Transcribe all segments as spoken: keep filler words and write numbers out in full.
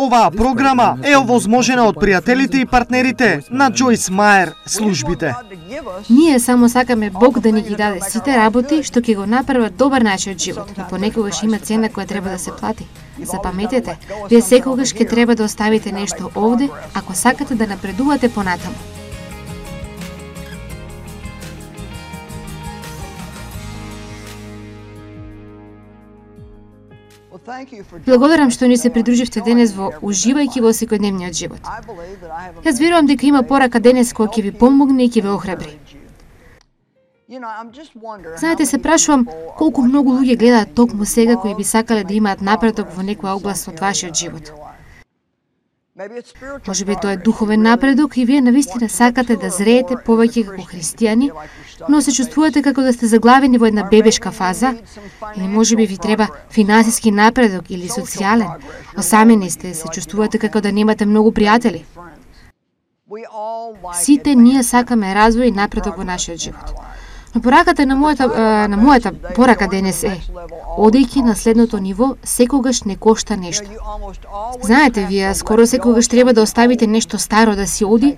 Оваа програма е овозможена од пријателите и партнерите на Джойс Мајер службите. Ние само сакаме Бог да ни ги даде сите работи што ќе го направат добар начин од живот, но понекогаш има цена која треба да се плати. Запаметете, вие секогаш ќе треба да оставите нешто овде ако сакате да напредувате понатаму. Благодарам што ни се придруживте денес во уживајќи во секојдневниот живот. Јас верувам дека има порака денес која ќе ви помогне и ќе ве охрабри. Знаете, се прашувам колку многу луѓе гледаат токму сега кои би сакале да имаат напредок во некоја област од вашиот живот. Може би тоа е духовен напредок и вие навистина сакате да зреете повеќе како христијани, но се чувствувате како да сте заглавени во една бебешка фаза, или може би ви треба финансиски напредок или социјален. Осамени сте, се чувствувате како да немате многу пријатели. Сите ние сакаме развој и напредок во нашиот живот. Но пораката на мојата, на мојата порака денес е, одејќи на следното ниво, секогаш не кошта нешто. Знаете, вие скоро секогаш треба да оставите нешто старо да си оди,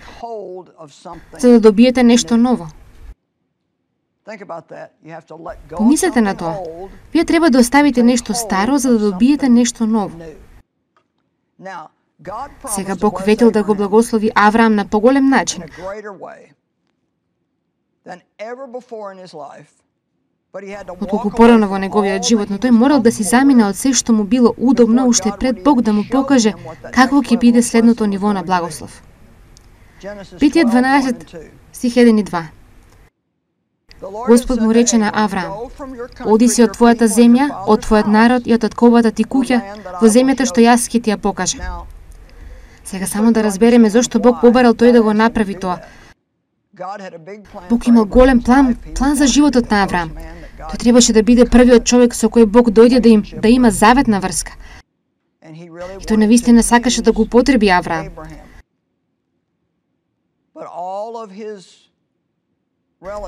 за да добиете нешто ново. Помислете на тоа. Вие треба да оставите нешто старо за да добиете нешто ново. Сега Бог ветил да го благослови Авраам на поголем начин. Отколку порано во неговиот живот, но тој морал да си замине од се што му било удобно уште пред Бог да му покаже какво ќе биде следното ниво на благослов. Битие дванаесет, стих еден и два. Господ му рече на Авраам: оди си од твојата земја, од твојот народ и од татковата ти куќа во земјата што јас ќе ти ја покажам. Сега само да разбереме зошто Бог побарал тој да го направи тоа. Бог имал голем план, план за животот на Авраам. Тој требаше да биде првиот човек со кој Бог дојде да им да има заветна врска. И тој навистина сакаше да го употреби Авраам.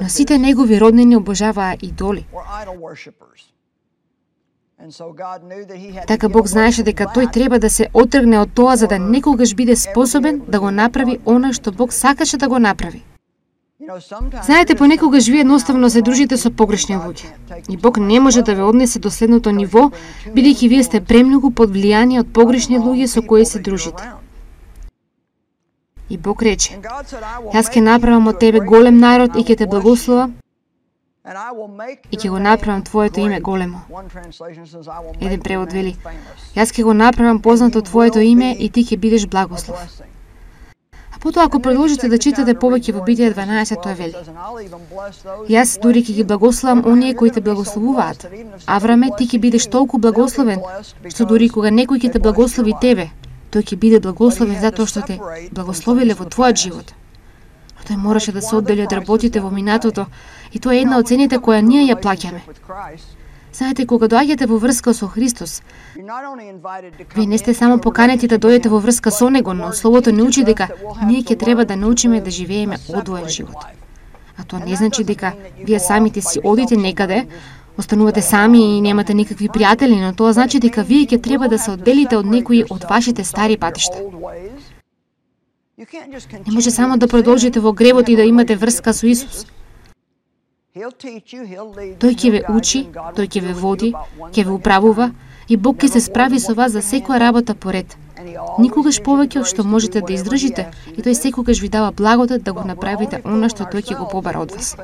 Но сите негови роднини обожаваа идоли. Така Бог знаеше дека тој треба да се отргне од тоа за да некогаш биде способен да го направи она што Бог сакаше да го направи. Знаете, понекогаш вие едноставно се дружите со погрешни луѓе. И Бог не може да ве однесе до следното ниво, бидејќи вие сте премногу под влијание од погрешни луѓе со кои се дружите. И Бог рече: јас ќе направам од тебе голем народ и ќе те благословам и ќе го направам твоето име големо. Еден превод вели: јас ќе го направам познато твоето име и ти ќе бидеш благослов. А потоа ако продолжите да читате повеќе во Битие дванаесет, тоа вели: јас дури ќе ги благословам оние кои те благословуваат. Авраме, ти ќе бидеш толку благословен, што дури кога некој ќе те благослови тебе, тој ќе биде благословен затоа што те благословиле во твојот живот. Но тој мораше да се оддели од работите во минатото и тоа е една од цените која ние ја плаќаме. Знаете, кога доаѓате во врска со Христос, вие не сте само поканети да дојдете во врска со Него, но Словото не учи дека ние ќе треба да научиме да живееме одвоен живот. А тоа не значи дека вие самите си одите некаде, останувате сами и немате никакви пријатели, но тоа значи дека вие ќе треба да се одделите од некои од вашите стари патишта. Не може само да продолжите во гревот и да имате врска со Исус. Тој ќе ве учи, тој ќе ве води, ќе ве управува и Бог ќе се справи со вас за секоја работа поред. Никогаш повеќе од што можете да издржите и тој секогаш ви дава благодат да го направите она што тој ќе го побара од вас.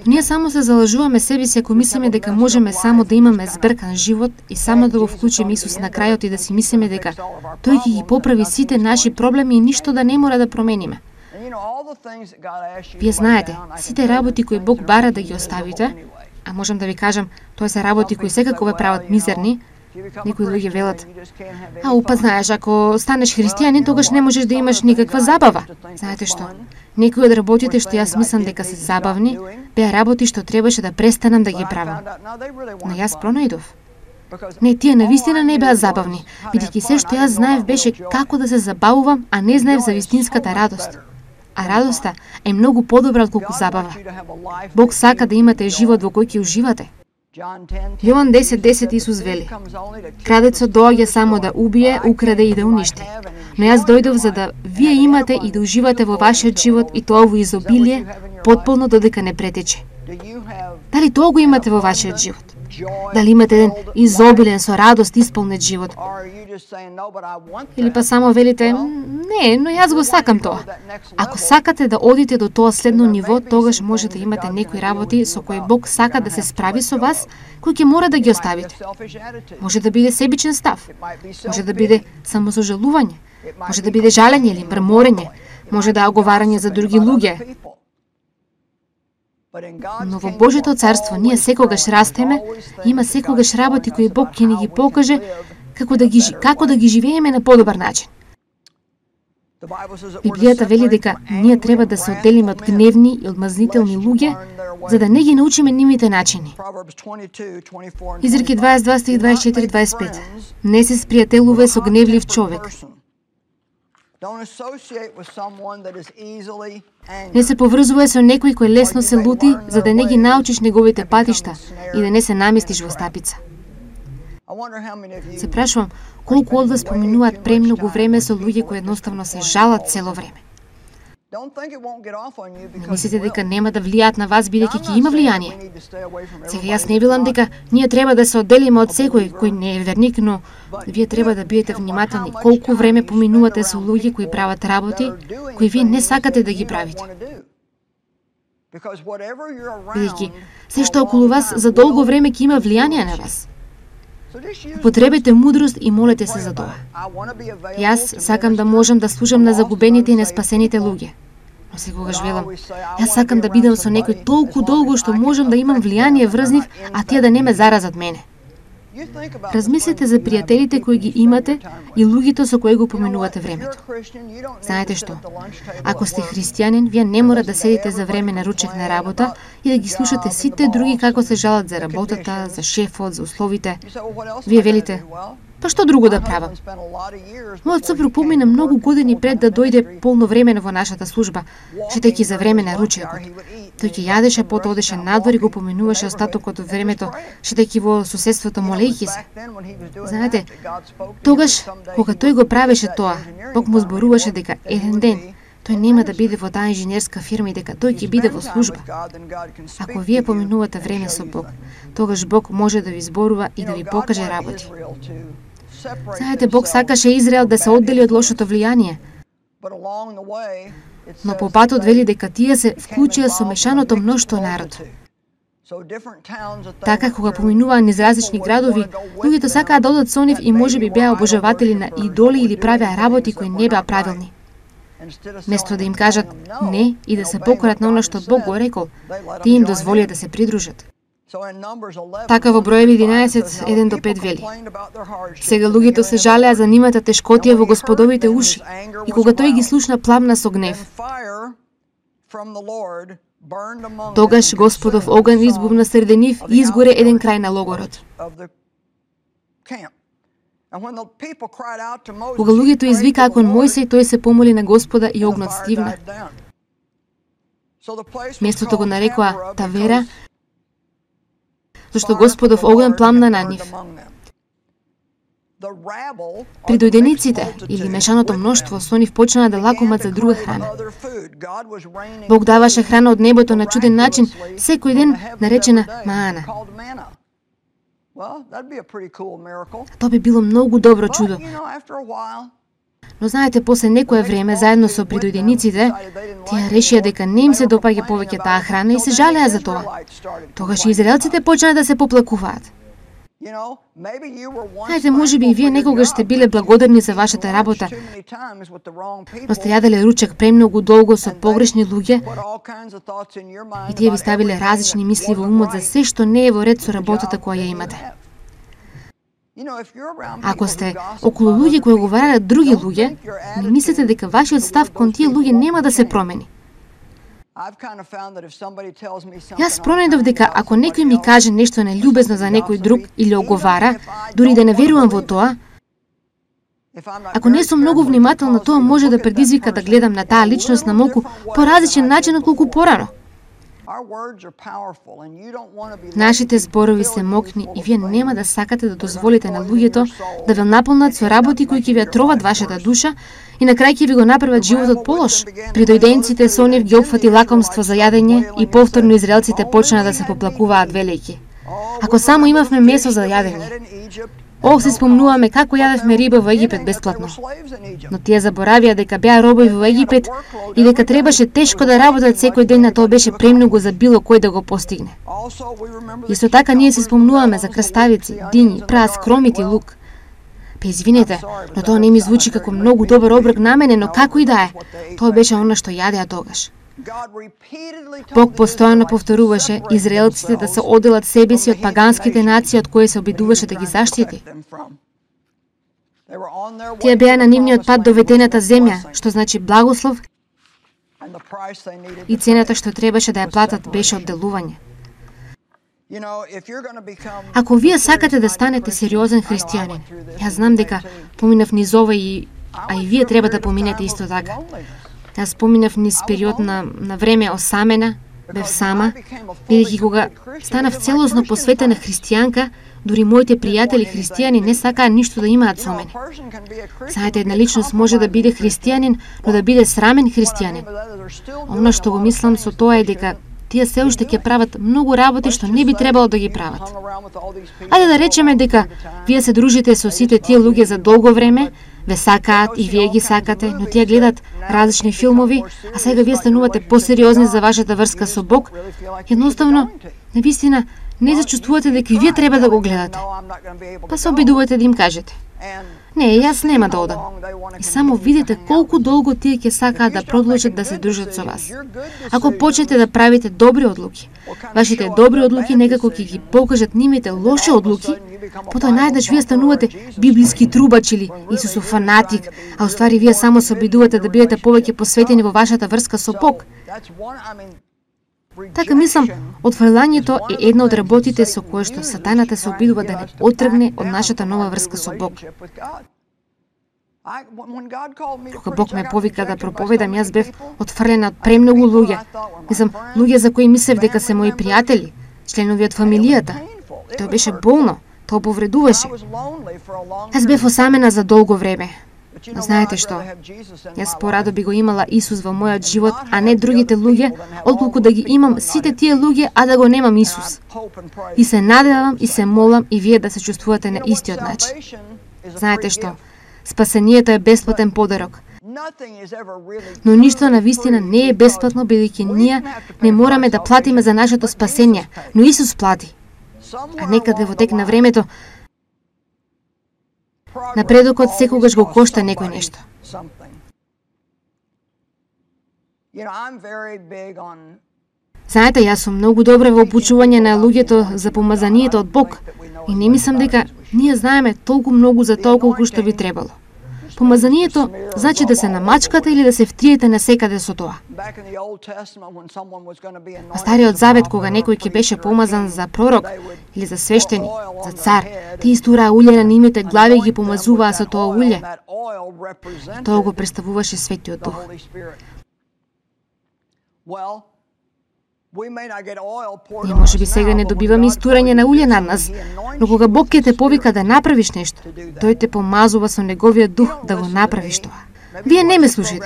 Ние само се залажуваме себе си ако мислиме дека можеме само да имаме збркан живот и само да го вклучиме Исус на крајот и да си мислиме дека тој ќе ги поправи сите наши проблеми и ништо да не мора да промениме. Вие знаете, сите работи кои Бог бара да ги оставите, а можам да ви кажам, тоа се работи кои секако ве прават мизерни. Некои луѓе велат: а упа знаеш, ако станеш христијанин, тогаш не можеш да имаш никаква забава. Знаете што? Некои од работите што јас мислам дека се забавни, беа работи што требаше да престанам да ги правам. Но јас пронајдов. Не, тие навистина не беа забавни, бидејќи се што јас знаев беше како да се забавувам, а не знаев за вистинската радост. А радоста е многу подобра отколку забава. Бог сака да имате живот во кој ќе уживате. Јован десет десет Исус вели: Крадецот доаѓа само да убие, украде и да уништи. Но јас дојдов за да вие имате и да уживате во вашиот живот и тоа во изобилие, потполно додека не претече. Дали тоа го имате во вашиот живот? Дали имате еден изобилен, со радост исполнет живот? Или па само велите: не, но јас го сакам тоа. Ако сакате да одите до тоа следно ниво, тогаш може да имате некои работи со кои Бог сака да се справи со вас, кои ќе мора да ги оставите. Може да биде себичен став, може да биде самосожалување, може да биде жалење или мрморење, може да е оговарање за други луѓе. Но во Божјото царство ние секогаш растеме, има секогаш работи кои Бог ќе ни ги покаже како да ги како да ги живееме на подобар начин. Библијата вели дека ние треба да се одделиме од гневни и одмазнителни луѓе, за да не ги научиме нивните начини. Изреки дваесет и два стих дваесет и четири дваесет и пет. Не се спријателувај со гневлив човек. Не се поврзувај со некој кој лесно се лути, за да не ги научиш неговите патишта и да не се наместиш во стапица. Се прашувам, колку од вас поминуваат премногу време со луѓе кои едноставно се жалат цело време. Не мислите дека нема да влијаат на вас бидејќи ќе има влијание? Сега јас не велам дека ние треба да се одделиме од секој кој не е верник, но вие треба да бидете внимателни колку време поминувате со луѓе кои прават работи кои вие не сакате да ги правите. Бидејќи се што околу вас за долго време ќе има влијание на вас. Потребете мудрост и молете се за тоа. Јас сакам да можам да служам на загубените и неспасените луѓе. Но секогаш велам, јас сакам да бидам со некој толку долго што можам да имам влијание врз нив, а тие да не ме заразат мене. Размислете за пријателите кои ги имате и луѓето со кои го поминувате времето. Знаете што? Ако сте христијанин, вие не мора да седите за време на ручек на работа и да ги слушате сите други како се жалат за работата, за шефот, за условите. Вие велите: па што друго да правам? Мојот сопруг помина многу години пред да дојде полновремено во нашата служба, шетајќи за време на ручекот. Тој ќе јадеше, потоа одеше надвор и го поминуваше остатокот од времето, шетајќи во соседството молејќи се. Знаете, тогаш, кога тој го правеше тоа, Бог му зборуваше дека еден ден тој нема да биде во таа инженерска фирма и дека тој ќе биде во служба. Ако вие поминувате време со Бог, тогаш Бог може да ви зборува и да ви покаже работи. Знаете, Бог сакаше Израел да се оддели од лошото влијание, но по патот вели дека тие се вклучија со мешаното мноштво народ. Така, кога поминуваа низ различни градови, луѓето сакаа да одат со нив и можеби беа обожаватели на идоли или правеа работи кои не беа правилни. Место да им кажат не и да се покорат на она што Бог го рекол, тие им дозволија да се придружат. Така во Броеви единаесет еден до пет вели: сега луѓето се жалеа за нивната тешкотија во Господовите уши, и кога тој ги слушна, пламна со гнев. Тогаш Господов оган избувна среде нив и изгоре еден крај на логорот. Кога луѓето извикаа кон Мојсей, тој се помоли на Господа и огнот стивна. Местото го нарекоа Тавера, зашто Господов оган пламна на нив. Придојдениците или мешаното мноштво со нив почнаа да лакомат за друга храна. Бог даваше храна од небото на чуден начин, секој ден наречена маана. Тоа би било многу добро чудо. Но знаете, после некое време, заедно со придојдениците, тие решија дека не им се допаѓа повеќе таа храна и се жалеа за тоа. Тогаш израелците почнаа да се поплакуваат. Знаете, може би и вие некогаш сте биле благодарни за вашата работа, но сте јаделе ручек премногу долго со погрешни луѓе и тие ви ставиле различни мисли во умот за се што не е во ред со работата која ја имате. Ако сте околу луѓе кои оговараат други луѓе, не мислите дека вашиот став кон тие луѓе нема да се промени. Јас пронајдов дека ако некој ми каже нешто нелюбезно за некој друг или оговара, дури да не верувам во тоа, ако не сум многу внимателна, тоа може да предизвика да гледам на таа личност на малку поразличен начин отколку порано. Нашите зборови се мокни и вие нема да сакате да дозволите на луѓето да ве наполнат со работи кои ќе ви ја троват вашата душа и на крај ќе ви го направат животот полош. Придојденците со нив ги опфати лакомство за јадење и повторно израелците почна да се поплакуваат велејќи: ако само имавме месо за јадење. Ох, се спомнуваме како јадевме риба во Египет бесплатно. Но тие заборавија дека беа робови во Египет и дека требаше тешко да работат секој ден, на тоа беше премногу за било кој да го постигне. Исто така ние се спомнуваме за краставици, дињи, прас, кромити, лук. Пе извинете, но тоа не ми звучи како многу добар оброк на мене, но како и да е, тоа беше она што јадеа тогаш. Бог постојано повторуваше израелците да се оделат себе си од паганските нации од кои се обидуваше да ги заштити. Тие беа на нивниот пат до ветената земја, што значи благослов, и цената што требаше да ја платат беше одделување. Ако вие сакате да станете сериозен христијанин, јас знам дека поминав низ ова и а и вие треба да поминете исто така. Јас поминав низ период на, на време осамена, бев сама, бидејќи кога станав целосно посветена христијанка, дури моите пријатели христијани не сакаа ништо да имаат со мене. Знаете, една личност може да биде христијанин, но да биде срамен христијанин. Она што го мислам со тоа е дека тие се уште ќе прават многу работи што не би требало да ги прават. Ајде да речеме дека вие се дружите со сите тие луѓе за долго време, ве сакаат и вие ги сакате, но тие гледат различни филмови, а сега вие станувате посериозни за вашата врска со Бог, едноставно, навистина, не зачувствувате дека вие треба да го гледате. Па се обидувате да им кажете: не, јас нема да одам. И само видите колку долго тие ќе сакаат да продолжат да се дружат со вас. Ако почнете да правите добри одлуки, вашите добри одлуки некако ќе ги покажат нивните лоши одлуки, потоа најдеш вие станувате библиски трубач или Исусов фанатик, а уствари вие само се обидувате да бидете повеќе посветени во вашата врска со Бог. Така мислам, отфрлањето е една од работите со која што сатаната се обидува да не отргне од нашата нова врска со Бог. Кога Бог ме повика да проповедам, јас бев отфрлена од премногу луѓе. Мислам, луѓе за кои мислев дека се мои пријатели, членови од фамилијата. Тоа беше болно, тоа повредуваше. Јас бев осамена за долго време. Но знаете што? Јас порадо би го имала Исус во мојот живот, а не другите луѓе, отколку да ги имам сите тие луѓе, а да го немам Исус. И се надевам и се молам и вие да се чувствувате на истиот начин. Знаете што? Спасението е бесплатен подарок. Но ништо на вистина не е бесплатно, бидејќи ние не мораме да платиме за нашето спасение, но Исус плати. А некаде во тек на времето, напредокот секогаш го кошта некој нешто. Знаете, јас сум многу добра во обучување на луѓето за помазанието од Бог и не мислам дека ние знаеме толку многу за тоа колку што би требало. Помазанието значи да се намачкате или да се втриете насекаде со тоа. Во Стариот Завет, кога некој ќе беше помазан за пророк или за свештеник, за цар, тие истураа улје на нивните глави и ги помазуваа со тоа улје. И тоа го представуваше Светиот Дух. Ние може би сега не добиваме истурање на улје над нас, но кога Бог ќе те повика да направиш нешто, тој те помазува со неговиот дух да го направиш тоа. Вие не ме слушате.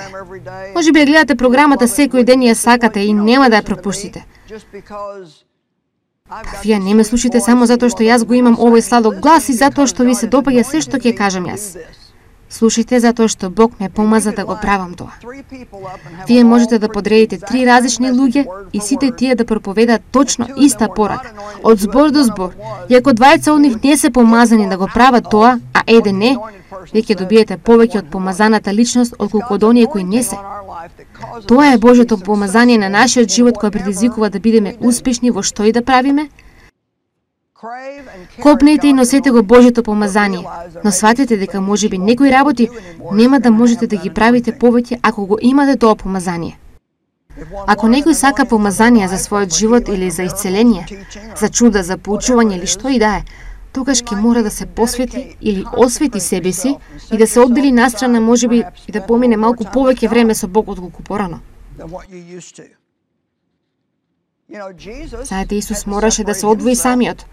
Може би ја гледате програмата секој ден и ја сакате и нема да ја пропуштите. Па вие не ме слушате само затоа што јас го имам овој сладок глас и затоа што ви се допаѓа се што ќе кажам јас. Слушайте затоа што Бог ме помаза да го правам тоа. Вие можете да подредите три различни луѓе и сите тие да проповедаат точно иста порака, од збор до збор. И ако двајца од нив не се помазани да го прават тоа, а еден не, вие ќе добиете повеќе од помазаната личност отколку од оние кои не се. Тоа е Божјото помазание на нашиот живот кој предизвикува да бидеме успешни во што и да правиме. Копнете и носете го Божјото помазание, но сватете дека можеби некои работи нема да можете да ги правите повеќе ако го имате тоа помазание. Ако некој сака помазание за својот живот или за исцеление, за чуда, за поучување или што и да е, тогаш ќе мора да се посвети или освети себе си и да се оддели настрана можеби и да помине малку повеќе време со Бог отколку порано. Знаете, Исус мораше да се одвои самиот.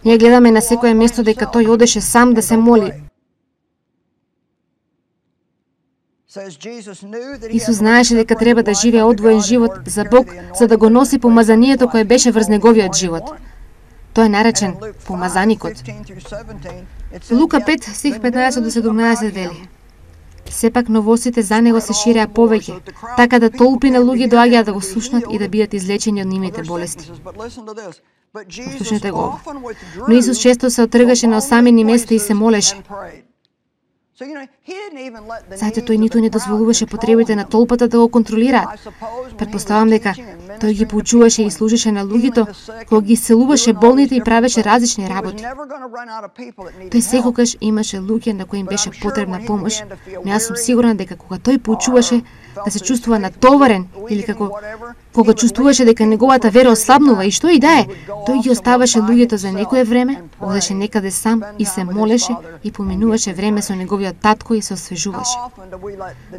Ние гледаме на секое место дека тој одеше сам да се моли. Исус знаеше дека треба да живее одвоен живот за Бог, за да го носи помазанието кое беше врз неговиот живот. Тој е наречен помазаникот. Лука пет, стих петнаесет до седумнаесет вели: Сепак новостите за него се ширеа повеќе, така да толпи на луѓе доаѓаа да го слушнат и да бидат излечени од нивните болести. Слушнете го ова. Но Исус често се отргаше на осамени места и се молеше. Знаете, тој ниту не дозволуваше потребите на толпата да го контролираат. Предпоставам дека тој ги поучуваше и служеше на луѓето, кога ги исцелуваше болните и правеше различни работи. Тој секогаш имаше луѓе на кои им беше потребна помош, но јас сум сигурна дека кога тој поучуваше да се чувствува натоварен или како кога чувствуваше дека неговата вера ослабнува и што и да е, тој ги оставаше луѓето за некое време, одеше некаде сам и се молеше и поминуваше време со неговиот татко и се освежуваше.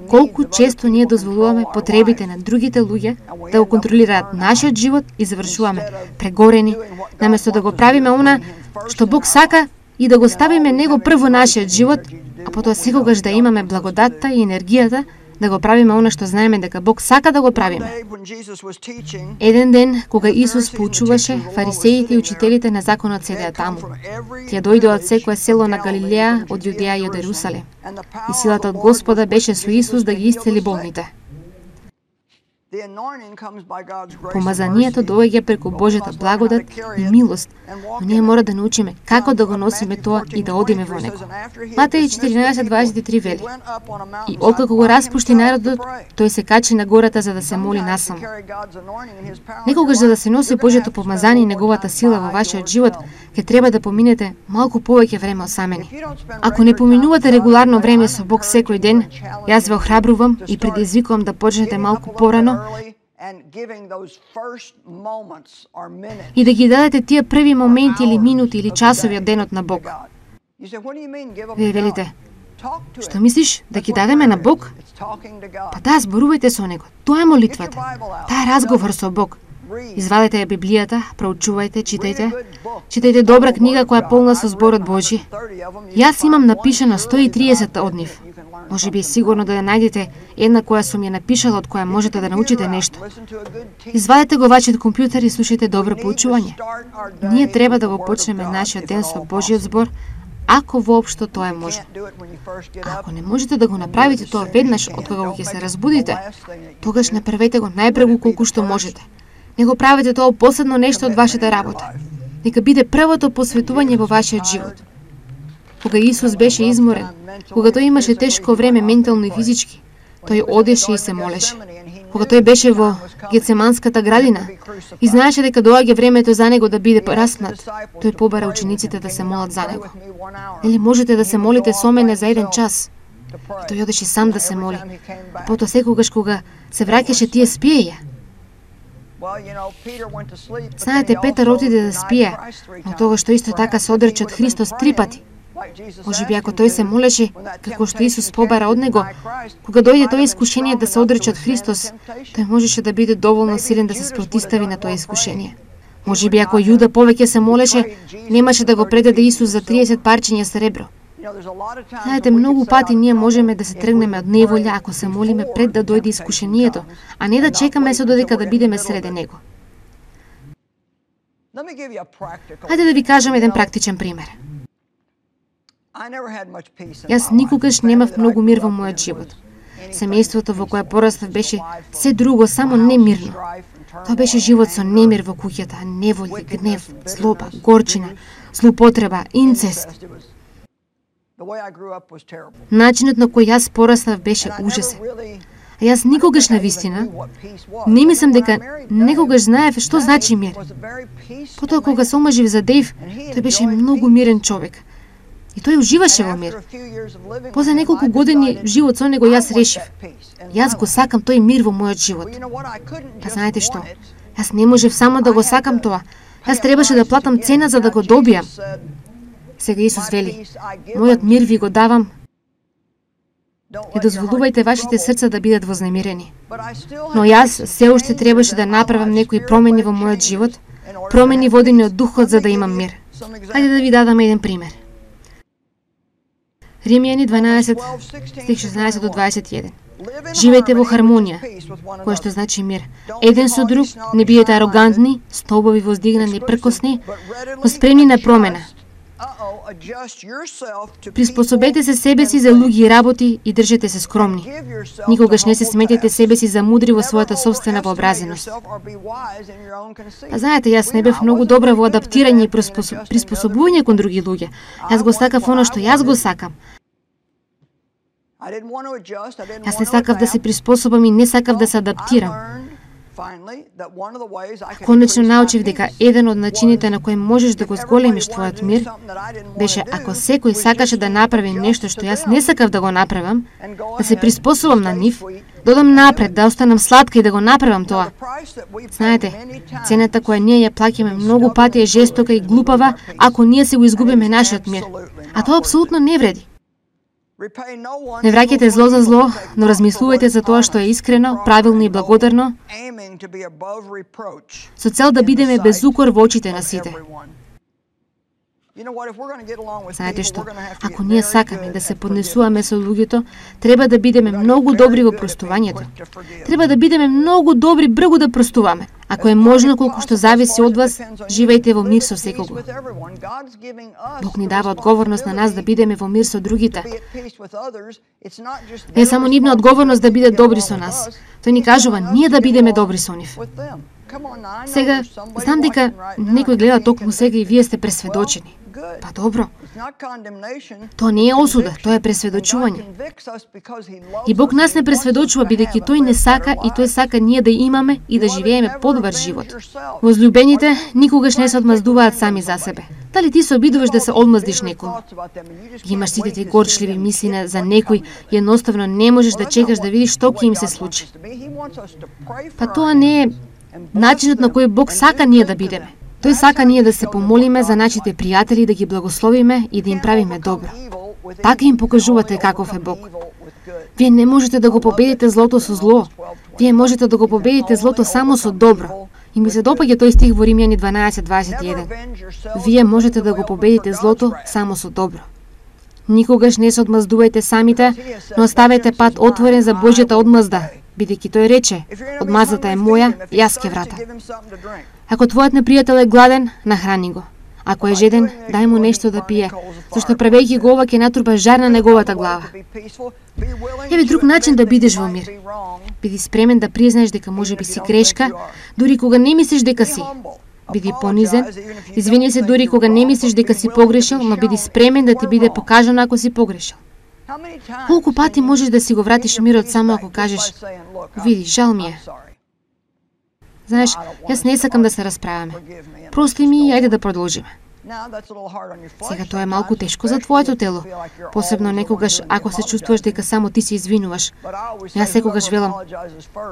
Колку често ние дозволуваме потребите на другите луѓе да го контролираат нашиот живот и завршуваме прегорени, наместо да го правиме она што Бог сака и да го ставиме него прво нашиот живот, а потоа секогаш да имаме благодатта и енергијата да го правиме она што знаеме дека Бог сака да го правиме. Еден ден, кога Исус поучуваше, фарисеите и учителите на законот седеа таму. Тие дојдоа од секое село на Галилеја, од Јудеја и од Ерусалим. И силата од Господа беше со Исус да ги исцели болните. Помазанието доаѓа преку Божјата благодат и милост, но ние мора да научиме како да го носиме тоа и да одиме во него. Матеј четиринаесет дваесет и три вели: И откако го распушти народот, тој се качи на гората за да се моли насаму. Некогаш за да се носи Божјото помазание и неговата сила во вашиот живот, ќе треба да поминете малку повеќе време осамени. Ако не поминувате регуларно време со Бог секој ден, јас ве охрабрувам и предизвикувам да почнете малку порано и да ги дадете тие први моменти или минути или часови од денот на Бог. Вие велите: што мислиш, да ги дадеме на Бог? Па да, зборувајте со Него. Тоа е молитвата. Таа е разговор со Бог. Извадете ја Библијата, проучувајте, читајте. Читајте добра книга која е полна со зборот Божи. Јас имам напишано сто и триесет од нив. Може би е сигурно да ја најдете една која сум ја напишала, од која можете да научите нешто. Извадете го вашиот компјутер и слушајте добро поучување. Ние треба да го почнеме нашиот ден со Божиот збор, ако воопшто тоа е можно. Ако не можете да го направите тоа веднаш од кога ќе се разбудите, тогаш направете го најпрегу колку што можете. Не го правете тоа последно нешто од вашата работа. Нека биде првото посветување во вашиот живот. Кога Исус беше изморен, кога тој имаше тешко време ментално и физички, тој одеше и се молеше. Кога тој беше во Гецеманската градина и знаеше дека доаѓа времето за него да биде распнат, тој побара учениците да се молат за него. Нели можете да се молите со мене за еден час? И тој одеше сам да се моли. А потоа секогаш кога се враќаше, тие спиеја. Знаете, Петар отиде да спие, но тогаш што исто така се одрече од Христос три пати. Може би ако тој се молеше, како што Исус побара од него, кога дојде тоа искушение да се одрече од Христос, тој можеше да биде доволно силен да се спротистави на тоа искушение. Може би ако Јуда повеќе се молеше, немаше да го предаде Исус за триесет парчиња сребро. Знаете, многу пати ние можеме да се тргнеме од неволја ако се молиме пред да дојде искушението, а не да чекаме се додека да бидеме среде него. Хајде да ви кажам еден практичен пример. Јас никогаш немав многу мир во мојот живот. Семејството во кое порастав беше се друго, само не мирно. Тоа беше живот со немир во куќата, неволја, гнев, злоба, горчина, злоупотреба, инцест. Начинот на кој јас порастав беше ужасен. А јас никогаш на вистина не мислам дека некогаш знаев што значи мир. Потоа кога се омажив за Дејв, тој беше многу мирен човек. И тој уживаше во мир. После неколку години живот со него јас решив. Јас го сакам тој мир во мојот живот. Па знаете што? Јас не можев само да го сакам тоа. Јас требаше да платам цена за да го добијам. Сега Исус вели: мојот мир ви го давам. Не дозволувајте вашите срца да бидат вознемирени. Но јас се уште требаше да направам некои промени во мојот живот, промени водени од духот за да имам мир. Хајде да ви дадам еден пример. Римјани дванаесет, стих шеснаесет до дваесет и еден. Живејте во хармонија, кој што значи мир. Еден со друг, не бидете арогантни, столбови воздигнани и пркосни, но спремни на промена. Приспособете се себе си за луѓе и работи и држете се скромни. Никогаш не се сметете себе си за мудри во својата собствена вообразеност. А знаете, јас не бев многу добра во адаптирање и приспособување кон други луѓе. Јас го сакав оно што јас го сакам. Јас не сакав да се приспособам и не сакав да се адаптирам. Конечно научив дека еден од начините на кој можеш да го зголемиш твојот мир беше ако секој сакаше да направи нешто што јас не сакав да го направам, да се приспособам на нив, да одам напред, да останам сладка и да го направам тоа. Знаете, цената која ние ја плаќаме многу пати е жестока и глупава ако ние се го изгубиме нашиот мир. А тоа апсолутно не вреди. Не враќајте зло за зло, но размислувајте за тоа што е искрено, правилно и благодарно, со цел да бидеме без укор во очите на сите. Знаете што, ако ние сакаме да се поднесуваме со луѓето, треба да бидеме многу добри во простувањето. Треба да бидеме многу добри бргу да простуваме. Ако е можно, колку што зависи од вас, живејте во мир со секого. Бог ни дава одговорност на нас да бидеме во мир со другите. Не е само нивна одговорност да бидат добри со нас. Тој ни кажува ние да бидеме добри со нив. Сега, знам дека некој гледа токму сега и вие сте пресведочени. Па добро. Тоа не е осуда, тоа е пресведочување. И Бог нас не пресведочува бидејќи тој не сака и тој сака ние да имаме и да живееме подобар живот. Возлюбените никогаш не се одмаздуваат сами за себе. Дали ти се обидуваш да се одмаздиш некому? Ги имаш сите ти горчливи мисли за некој и едноставно не можеш да чекаш да видиш што ќе им се случи. Па тоа не е начинот на кој Бог сака ние да бидеме. Тој сака ние да се помолиме за нашите пријатели, да ги благословиме и да им правиме добро. Така им покажувате каков е Бог. Вие не можете да го победите злото со зло. Вие можете да го победите злото само со добро. И ми се допаѓа тој стих во Римјани дванаесет дваесет и еден. Вие можете да го победите злото само со добро. Никогаш не се одмаздувајте самите, но оставете пат отворен за Божјата одмазда, бидејќи тој рече: одмаздата е моја, јас ќе вратам. Ако твојот непријател е гладен, нахрани го. Ако е жеден, дај му нешто да пие, зашто правејќи го ова ќе натрупа жар на неговата глава. Еве друг начин да бидеш во мир. Биди спремен да признаеш дека можеби си грешка, дури кога не мислиш дека си. Биди понизен, извини се дури кога не мислиш дека си погрешил, но биди спремен да ти биде покажано ако си погрешил. Колку пати можеш да си го вратиш мирот само ако кажеш: види, жал ми е. Знаеш, јас не сакам да се расправаме. Прости ми и ајде да продолжиме. Сега тоа е малку тешко за твоето тело, посебно некогаш ако се чувствуваш дека само ти се извинуваш. Јас секогаш велам,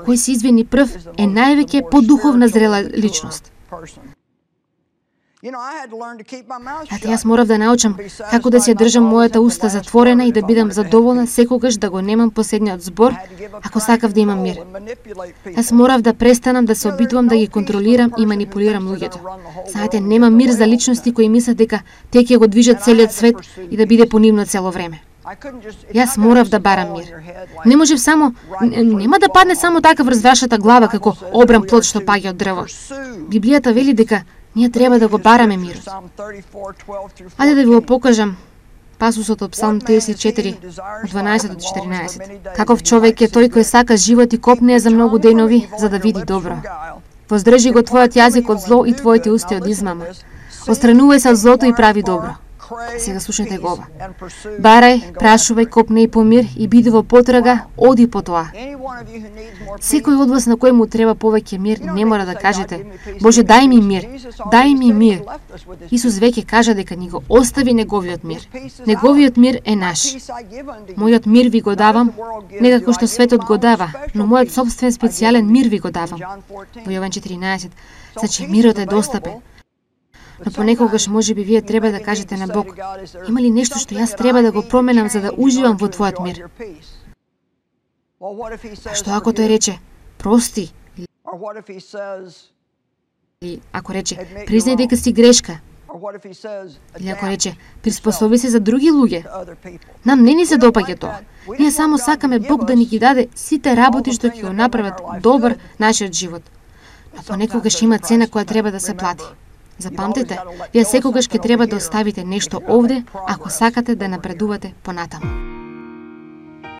кој се извини прв е највеќе подуховна зрела личност. Ати јас морав да научам како да се држам мојата уста затворена и да бидам задоволна секогаш да го немам последниот збор, ако сакав да имам мир. Јас морав да престанам да се обидувам да ги контролирам и манипулирам луѓето. Знаете, нема мир за личности кои мислат дека те ќе го движат целиот свет и да биде по нивно цело време. Јас морав да барам мир. Не можев само, нема да падне само така врз вашата глава како обран плод што паѓа од дрво. Библијата вели дека ние треба да го бараме мирот. Ајде да ви го покажам пасусот од Псалм триесет и четири, од дванаесет до четиринаесет. Каков човек е тој кој сака живот и копнее за многу денови, за да види добро. Воздржи го твојот јазик од зло и твоите усти од измама. Остранувај се од злото и прави добро. Сега слушнете го ова. Барај, прашувај, копнеј по мир и биди во потрага, оди по тоа. Секој од вас на кој му треба повеќе мир, не мора да кажете: Боже, дај ми мир, дај ми мир. Исус веќе кажа дека ни го остави неговиот мир. Неговиот мир е наш. Мојот мир ви го давам, не како што светот го дава, но мојот собствен специјален мир ви го давам. Во Јован четиринаесет. Значи мирот е достапен. Но понекогаш можеби вие треба да кажете на Бог: има ли нешто што јас треба да го променам за да уживам во твојот мир? А што ако тој рече, прости? Или ако рече, признај дека си грешка? Или ако рече, приспособи се за други луѓе? Нам не ни се допаѓа тоа. Ние само сакаме Бог да ни ги даде сите работи што ќе го направат добар нашиот живот. Но понекогаш има цена која треба да се плати. Запамтете, вие секогаш ќе треба да оставите нешто овде ако сакате да напредувате понатаму.